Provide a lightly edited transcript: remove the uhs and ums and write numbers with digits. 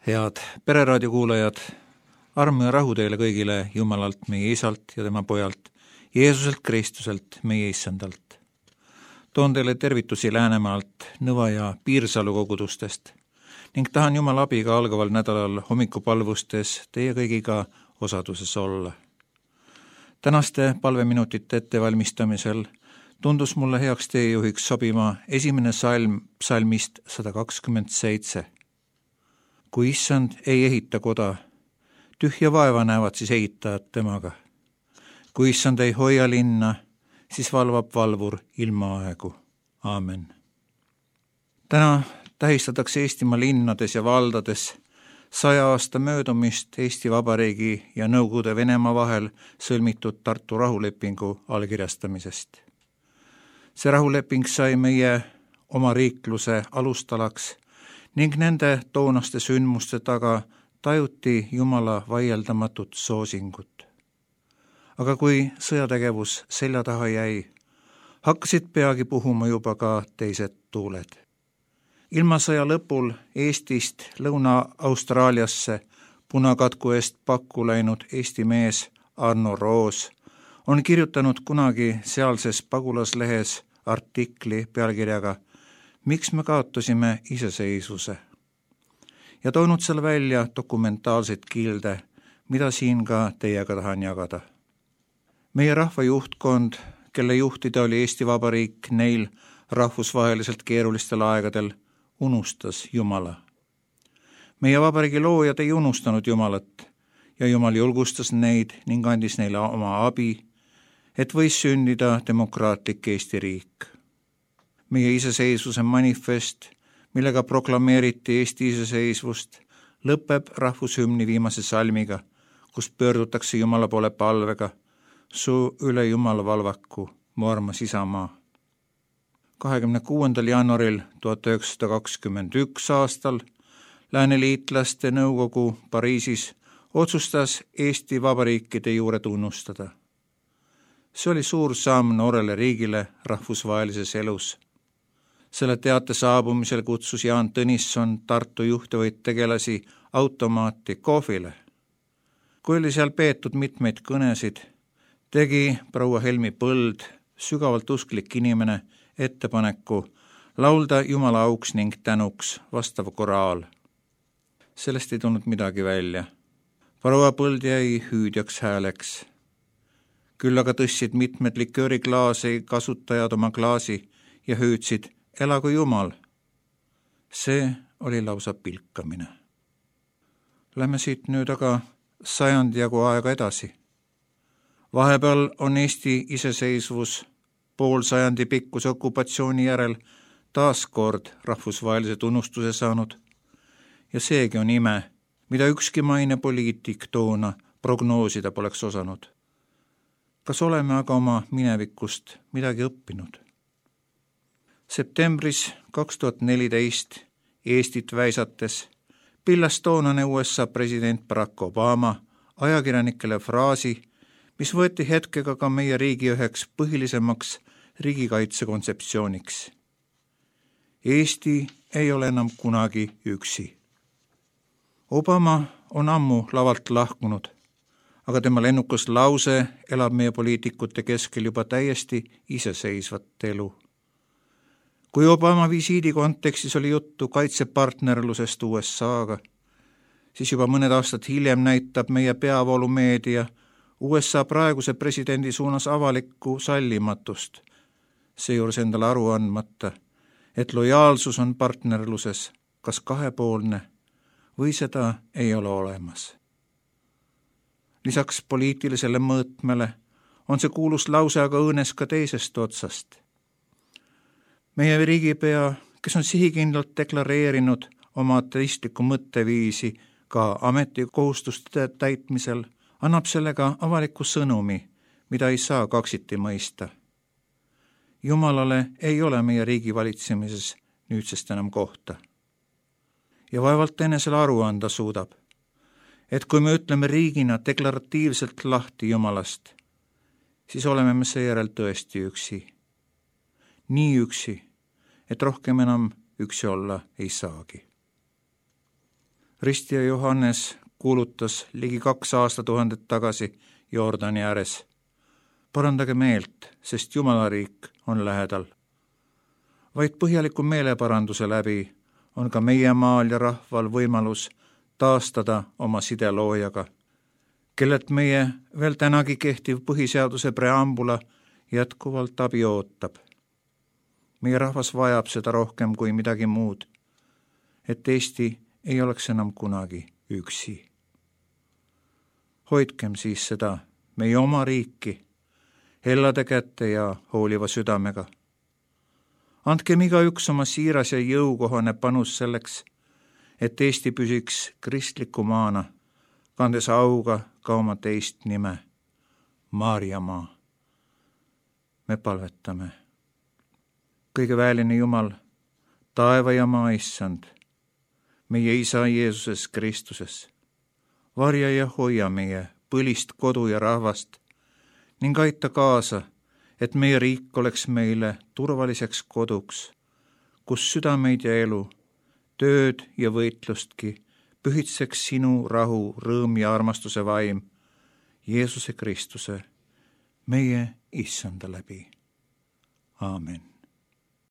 Head Pereraadio kuulajad, armu ja rahu teile kõigile Jumalalt, meie Isalt ja tema Pojalt, Jeesuselt Kristuselt, meie Issandalt. Toon teile tervitusi Läänemaalt, Nõva ja Piirsalu kogudustest ning tahan Jumala abiga algaval nädalal hommikupalvustes teie kõigiga osaduses olla. Tänaste palveminutite ettevalmistamisel tundus mulle heaks teejuhiks sobima esimene salm psalmist 127. Kui Issand ei ehita koda, tühja vaeva näevad siis ehitajad temaga. Kui Issand ei hoia linna, siis valvab valvur ilma aegu. Aamen. Täna tähistatakse Eestimaa linnades ja valdades 100 aasta möödumist Eesti Vabariigi ja Nõukogude Venemaa vahel sõlmitud Tartu rahulepingu allkirjastamisest. See rahuleping sai meie oma riikluse alustalaks ning nende toonaste sündmuste taga tajuti Jumala vaieldamatut soosingut. Aga kui sõjategevus selja taha jäi, hakkasid peagi puhuma juba ka teised tuuled. Ilma sõja lõpul Eestist Lõuna-Austraaliasse punakatku eest pakku läinud Eesti mees Arno Roos on kirjutanud kunagi sealses pagulaslehes artikli pealkirjaga "Miks me kaotasime iseseisvuse?" ja toonud seal välja dokumentaalseid kilde, mida siin ka teiega tahan jagada. Meie rahva juhtkond, kelle juhtida oli Eesti Vabariik neil rahvusvaheliselt keerulistel aegadel, unustas Jumala. Meie vabariigi loojad ei unustanud Jumalat ja Jumal julgustas neid ning andis neile oma abi, et võis sündida demokraatlik Eesti riik. Meie iseseisvuse manifest, millega proklameeriti Eesti iseseisvust, lõpeb rahvushümni viimase salmiga, kus pöördutakse Jumala poole palvega: Su üle Jumala valvaku, mu armas isamaa. 26. jaanuaril 1921 aastal Lääneliitlaste nõukogu Pariisis otsustas Eesti Vabariikide juure tunnustada. See oli suur samm noorele riigile rahvusvahelises elus. Selle teate saabumisel kutsus Jaan Tõnisson Tartu juhtivaid tegelasi automaati kohvile. Kui oli seal peetud mitmeid kõnesid, tegi proua Helmi Põld, sügavalt usklik inimene, ettepaneku laulda Jumala auks ning tänuks vastav koraal. Sellest ei tulnud midagi välja. Proua Põld jäi hüüdjaks hääleks. Küll aga tõstsid mitmed likööriklaasi kasutajad oma klaasi ja hüüdsid: Elagu Jumal! See oli lausa pilkamine. Lähme siit nüüd aga sajandi jagu aega edasi. Vahepeal on Eesti iseseisvus pool sajandi pikkuse okupatsiooni järel taas kord rahvusvahelise tunnustuse saanud ja seegi on ime, mida ükski maine poliitik toona prognoosida poleks osanud. Kas oleme aga oma minevikust midagi õppinud? Septembris 2014 Eestit väisates pillas toonane USA president Barack Obama ajakirjanikele fraasi, mis võeti hetkega ka meie riigi üheks põhilisemaks riigikaitse kontseptsiooniks. Eesti ei ole enam kunagi üksi. Obama on ammu lavalt lahkunud, aga tema lennukas lause elab meie poliitikute keskel juba täiesti iseseisvat elu. Kui Obama visiidi kontekstis oli juttu kaitsepartnerlusest USA-ga, siis juba mõned aastad hiljem näitab meie peavoolumeedia USA praeguse presidendi suunas avalikku sallimatust, seejuures endale aru andmata, et lojaalsus on partnerluses kas kahepoolne või seda ei ole olemas. Lisaks poliitilisele mõõtmele on see kuulus lause aga õõnes ka teisest otsast. Meie riigipea, kes on sihikindlalt deklareerinud oma ateistlikku mõtteviisi ka ametikohustuste täitmisel, annab sellega avaliku sõnumi, mida ei saa kaksiti mõista. Jumalale ei ole meie riigi valitsemises nüüdsest enam kohta. Ja vaevalt enesele aru anda suudab, et kui me ütleme riigina deklaratiivselt lahti Jumalast, siis oleme me seejärel tõesti üksi. Nii üksi, et rohkem enam üksi olla ei saagi. Ristija Johannes kuulutas ligi 2 aastatuhandet tagasi Jordani ääres: parandage meelt, sest Jumala riik on lähedal. Vaid põhjaliku meeleparanduse läbi on ka meie maal ja rahval võimalus taastada oma side loojaga, kellelt meie veel tänagi kehtiv põhiseaduse preambula jätkuvalt abi ootab. Meie rahvas vajab seda rohkem kui midagi muud, et Eesti ei oleks enam kunagi üksi. Hoidkem siis seda meie oma riiki hellade kätte ja hooliva südamega. Andkem igaüks oma siiras ja jõukohane panus selleks, et Eesti püsiks kristliku maana, kandes auga ka oma teist nime, Maarjamaa. Me palvetame. Kõige väeline Jumal, taeva ja maa issand, meie Isa Jeesuses Kristuses, varja ja hoia meie põlist kodu ja rahvast ning aita kaasa, et meie riik oleks meile turvaliseks koduks, kus südameid ja elu, tööd ja võitlustki pühitseks sinu rahu, rõõm ja armastuse vaim Jeesuse Kristuse, meie issanda läbi. Aamen.